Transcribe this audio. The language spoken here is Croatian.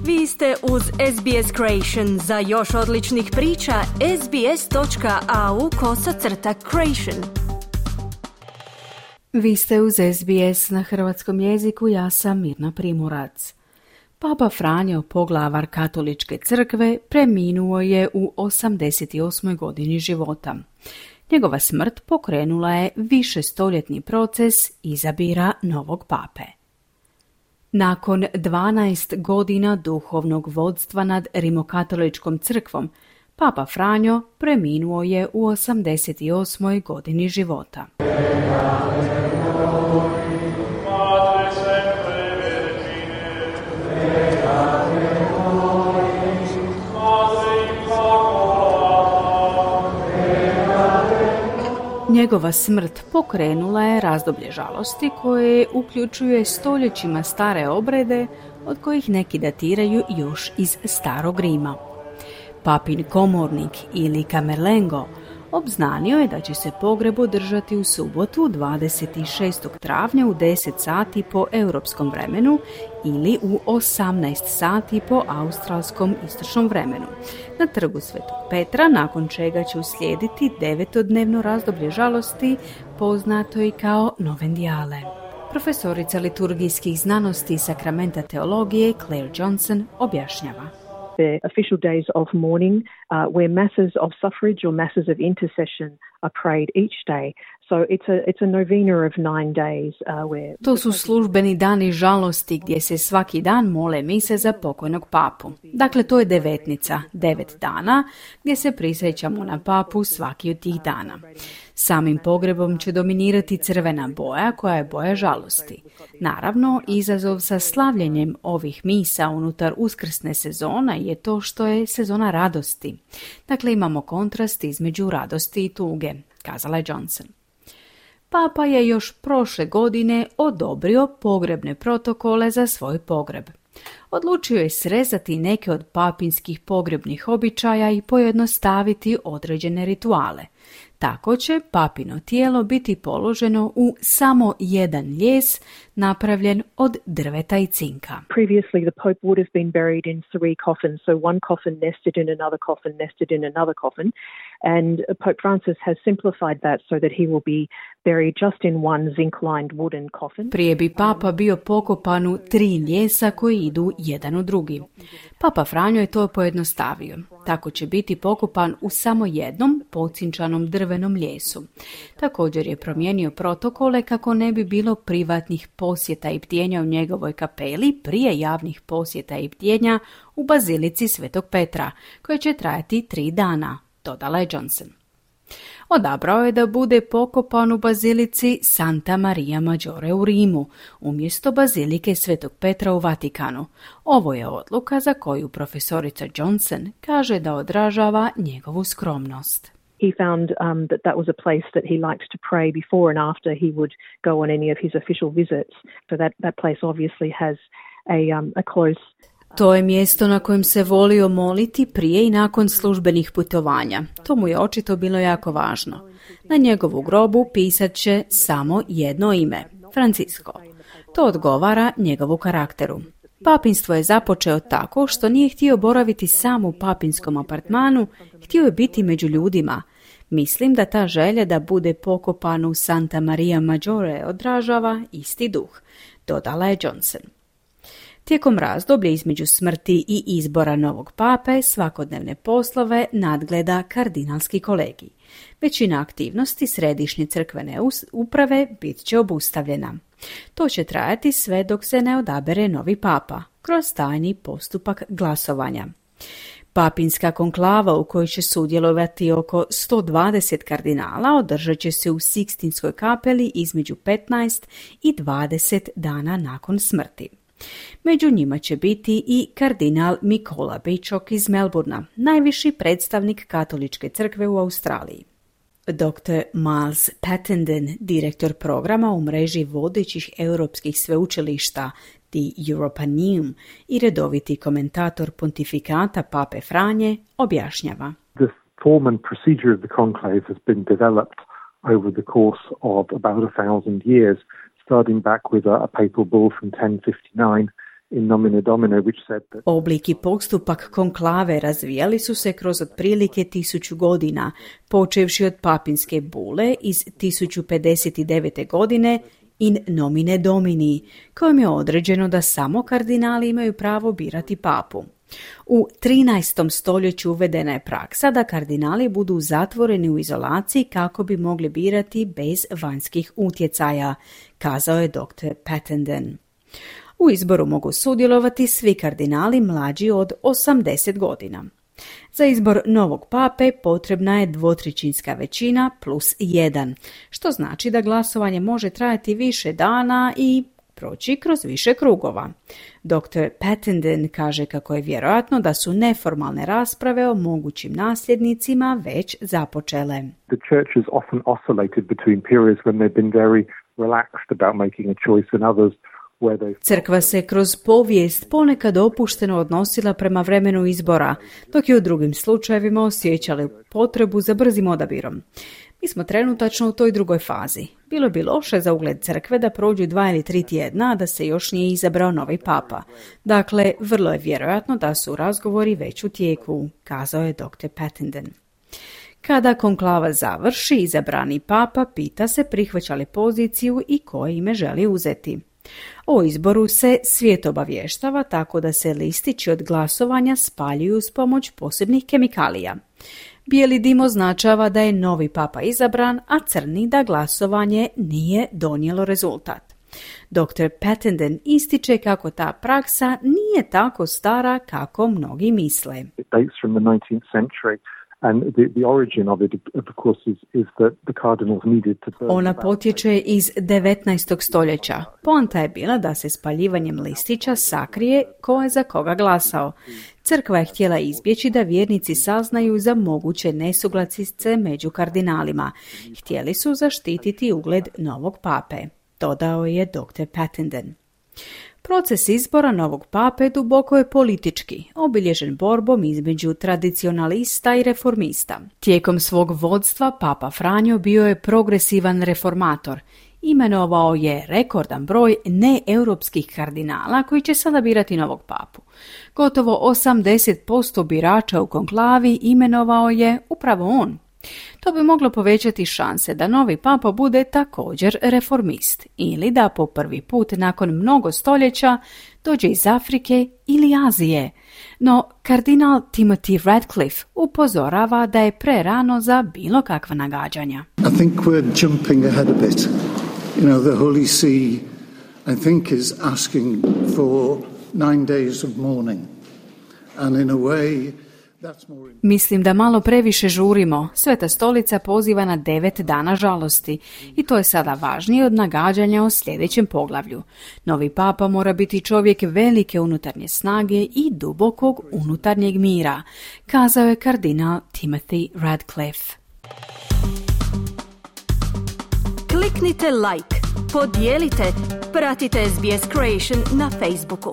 Vi ste uz SBS Creation. Za još odličnih priča, sbs.au/creation. Vi ste uz SBS na hrvatskom jeziku, ja sam Mirna Primorac. Papa Franjo, poglavar Katoličke crkve, preminuo je u 88. godini života. Njegova smrt pokrenula je višestoljetni proces izabira novog pape. Nakon 12 godina duhovnog vodstva nad Rimokatoličkom crkvom, Papa Franjo preminuo je u 88. godini života. Njegova smrt pokrenula je razdoblje žalosti koje uključuje stoljećima stare obrede od kojih neki datiraju još iz Starog Rima. Papin komornik ili Camerlengo obznanio je da će se pogreb održati u subotu 26. travnja u 10 sati po europskom vremenu ili u 18 sati po australskom istočnom vremenu na trgu Svetog Petra, nakon čega će uslijediti 9-dnevno razdoblje žalosti, poznato i kao Novendiale. Profesorica liturgijskih znanosti i sakramenta teologije Claire Johnson objašnjava. The official days of mourning where masses of suffrage or masses of intercession are prayed each day. So it's a novena of 9 days where... To su službeni dani žalosti gdje se svaki dan mole mise za pokojnog papu. Dakle, to je devetnica, 9 dana gdje se prisjećamo na papu svaki od tih dana. Samim pogrebom će dominirati crvena boja koja je boja žalosti. Naravno, izazov sa slavljenjem ovih misa unutar uskrsne sezona je to što je sezona radosti. Dakle, imamo kontrast između radosti i tuge, kazala je Johnson. Papa je još prošle godine odobrio pogrebne protokole za svoj pogreb. Odlučio je srezati neke od papinskih pogrebnih običaja i pojednostaviti određene rituale. Tako će papino tijelo biti položeno u samo jedan lijes napravljen od drveta i cinka. Previously the Pope would have been buried in 3 coffins, so one coffin nested in another coffin, nested in another coffin, and Pope Francis has simplified that so that he will be buried just in one zinc-lined wooden coffin. Prije bi papa bio pokopan u 3 lijesa koji idu jedan u drugi. Papa Franjo je to pojednostavio. Tako će biti pokopan u samo jednom pocinčanom drvenom lijesu. Također je promijenio protokole kako ne bi bilo privatnih posjeta i bdjenja u njegovoj kapeli prije javnih posjeta i bdjenja u bazilici Svetog Petra, koje će trajati 3 dana, dodala je Johnson. Odabrao je da bude pokopan u bazilici Santa Maria Maggiore u Rimu, umjesto bazilike Svetog Petra u Vatikanu. Ovo je odluka za koju profesorica Johnson kaže da odražava njegovu skromnost. He found that was a place that he liked to pray before and after he would go on any of his official visits. So that place obviously has a close... To je mjesto na kojem se volio moliti prije i nakon službenih putovanja. To mu je očito bilo jako važno. Na njegovu grobu pisat će samo jedno ime, Francisco. To odgovara njegovu karakteru. Papinstvo je započeo tako što nije htio boraviti sam u papinskom apartmanu, htio je biti među ljudima. Mislim da ta želja da bude pokopan u Santa Maria Maggiore odražava isti duh, dodala je Johnson. Tijekom razdoblja između smrti i izbora novog pape svakodnevne poslove nadgleda kardinalski kolegij. Većina aktivnosti središnje crkvene uprave bit će obustavljena. To će trajati sve dok se ne odabere novi papa, kroz tajni postupak glasovanja. Papinska konklava u kojoj će sudjelovati oko 120 kardinala održat će se u Sikstinskoj kapeli između 15 i 20 dana nakon smrti. Među njima će biti i kardinal Mikola Bičok iz Melbourna, najviši predstavnik Katoličke crkve u Australiji. Dr. Miles Pattenden, direktor programa u mreži vodećih europskih sveučilišta The Europaneum i redoviti komentator pontifikata Pape Franje, objašnjava. The form and procedure of the conclave has been developed over the course of about 1,000 years, starting back with a papal bull from 1059 in nomine domine, which said that Oblik i postupak konklave razvijali su se kroz otprilike 1000 godina, počevši od papinske bule iz 1059. godine in nomine domini, kojom je određeno da samo kardinali imaju pravo birati papu. U 13. stoljeću uvedena je praksa da kardinali budu zatvoreni u izolaciji kako bi mogli birati bez vanjskih utjecaja, kazao je dr. Pattenden. U izboru mogu sudjelovati svi kardinali mlađi od 80 godina. Za izbor novog pape potrebna je 2/3 većina plus 1, što znači da glasovanje može trajati više dana i proći kroz više krugova. Dr. Pattenden kaže kako je vjerojatno da su neformalne rasprave o mogućim nasljednicima već započele. the church has often oscillated between periods when they've been very relaxed about making a choice and others where they... Crkva se kroz povijest ponekad opušteno odnosila prema vremenu izbora, dok je u drugim slučajevima osjećali potrebu za brzim odabirom. Mi smo trenutačno u toj drugoj fazi. Bilo bi loše za ugled crkve da prođu 2 ili 3 tjedna, a da se još nije izabrao novi papa. Dakle, vrlo je vjerojatno da su razgovori već u tijeku, kazao je dr. Pattenden. Kada konklava završi, izabrani papa pita se prihvaća li poziciju i koje ime želi uzeti. O izboru se svijet obavještava tako da se listići od glasovanja spaljuju s pomoć posebnih kemikalija. Bijeli dim označava da je novi papa izabran, a crni da glasovanje nije donijelo rezultat. Dr. Pattenden ističe kako ta praksa nije tako stara kako mnogi misle. It dates from the 19th century. And the origin of it, of course, is that the cardinals needed to burn. Ona potječe iz 19. stoljeća. Poanta je bila da se spaljivanjem listića sakrije ko je za koga glasao. Crkva je htjela izbjeći da vjernici saznaju za moguće nesuglasice među kardinalima. Htjeli su zaštititi ugled novog pape, dodao je dr. Pattenden. Proces izbora novog pape duboko je politički, obilježen borbom između tradicionalista i reformista. Tijekom svog vodstva papa Franjo bio je progresivan reformator. Imenovao je rekordan broj neeuropskih kardinala koji će sada birati novog papu. Gotovo 80% birača u konklavi imenovao je upravo on. To bi moglo povećati šanse da novi papa bude također reformist ili da po prvi put nakon mnogo stoljeća dođe iz Afrike ili Azije. No, kardinal Timothy Radcliffe upozorava da je prerano za bilo kakva nagađanja. I think we're jumping ahead a bit. You know, the Holy See, I think, is asking for 9 days of mourning. And in a way, mislim da malo previše žurimo. Sveta stolica poziva na 9 dana žalosti i to je sada važnije od nagađanja o sljedećem poglavlju. Novi papa mora biti čovjek velike unutarnje snage i dubokog unutarnjeg mira, kazao je kardinal Timothy Radcliffe. Kliknite like, podijelite, pratite SBS Creation na Facebooku.